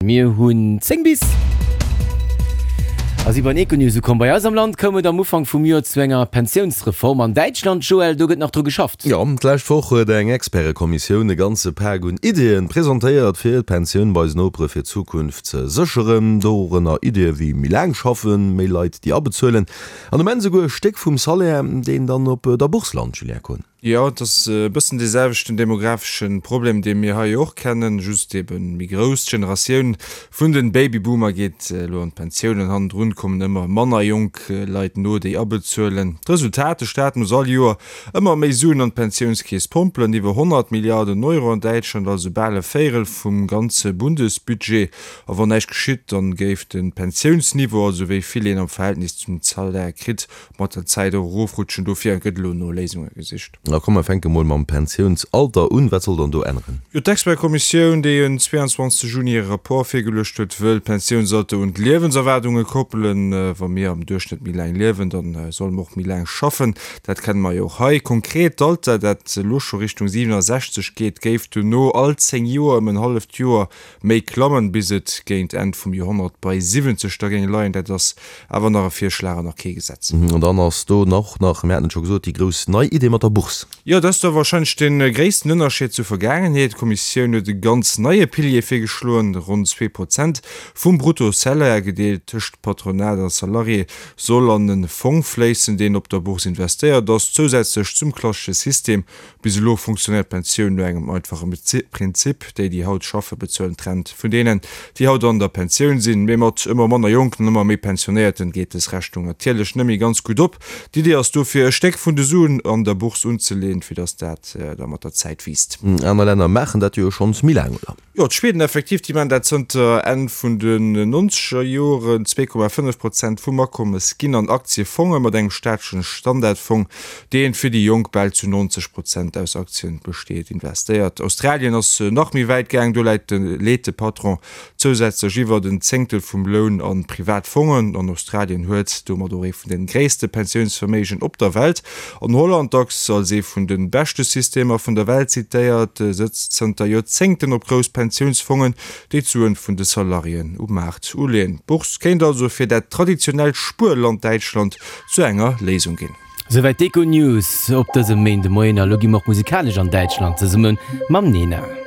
Mir hunn 10 bis a si beim Econews ukomm. Bei eis am Land koum et am Ufank vum Joer zu enger Pensiounsreform. An Däitschland, Joël, do gëtt nach dru geschafft. Jo, d'lescht Woch huet eng Expertekommissioun e ganze Pak un Iddien presentéiert, fir d'Pensioun bei eisen Nopere fir d'Zukunft ze sécheren. Dorënner Iddie wéi méi laang schaffen, méi Leit déi abezuelen an um Enn esouguer e Stéck vum Salaire, deen dann op der Bourse lant, Julien Kohn. Jo, et ass e bëssen dee selwechten demografesche Problem, dee mir hei och kennen, just ebe méi grouss. D'Generatioun vun de Babyboomer geet elo an d'Pensioun an hannendrun kommen ëmmer manner jonk Leit no, déi abezuelen. D'Resultat, De Staat muss all Joer ëmmer méi Suen an d'Pensiounskeess pompelen, iwwer 100 Milliarden Euro an Däitschland, also bal e Véierel vum ganze Bundesbudget. A wann näischt geschitt, dann géif de Pensiounsniveau, also wéi vill een am Verhältnis zum Salaire kritt, mat der Zäit och erofrutschen. Dofir gëtt elo no Léisunge gesicht. A komm mer fänke mol mam Pensiounsalter un. Wat soll dann do änneren? Jo, d'Expertkommissioun, déi en 22 Juni hire Rapport virgeluecht huet, wëll d'Pensiounsalter un d'Liewenserwaardunge koppelen. Wa mir am Duerchschnëtt méi laang liewen, da solle mer och méi laang schaffen. Dat kenne mer jo och hei. Konkret, d'Alter, dat elo scho Richtung 67 geet, géif dono all 10 Joer ëm en halleft Joer méi klammen, bis et géint Enn vum Joerhonnert bei 70 da géing leien. Dat ass awer nach e Virschlag an nach kee Gesetz. An dann ass do och nach, mir haten et scho gesot, déi grouss nei Idee mat der Bourse. Jo, dat ass da wahrscheinlech de gréissten Ënnerscheed zur Vergaangenheet. D'Kommissioun huet e ganz neie Pilier virgeschloen, ronn 2% vum Brutto-Salaire, gedeelt tëscht Patronat a Salarié, soll an e Fong fléissen, deen op der Bourse investéiert ass, zousätzlech zum klassesche System Bis elo funktionéiert d'Pensioun no engem einfache Prinzip, Déi, déi haut schaffen, bezuelen d'Rent vun deenen, déi haut an der Pensioun sinn. Mee mat ëmmer manner Jonken an ëmmer méi Pensionéierten geet dës Rechnung natierlech net méi ganz gutt op. D'Idee ass dofir, e Stéck vun de Suen an der Bourse unzeleen, fir datt dat da mat der Zäit wiisst. Aner Länner maachen dat jo schonns méi laang, oder? Jo, d'Schweden effektiv, déi maachen dat zënter Enn vun den nonzeger Joren. 2,5 Prozent vum Akommes ginn an Aktiefonge mat engem staatlechen Standardfong, deen fir déi Jonk bal zu 90 Prozent aus Aktien besteet, investéiert. Australien ass nach méi wäit gaang, do läit de leet de Patron zousätzlech iwwert en Zéngtel vum Loun a privat Fongen. An Australien huet domat och ee vun de gréisste Pensiounsverméigen op der Welt. An Holland, dacks als ee vun de beschte Systemer vun der Welt zitéiert, sëtzt zënter Joerzéngten op grouss Pensiounsfongen, déi d'Suen vun de Salariéen um Maart uleeën. D'Bourse kéint also fir dat traditionellt Spuerland Däitschland zu enger Léisung ginn. Souwäit d'Econews op dësem Méindemoien. A lo gi mer och musikalesch an Däitschland zesumme mam Nena.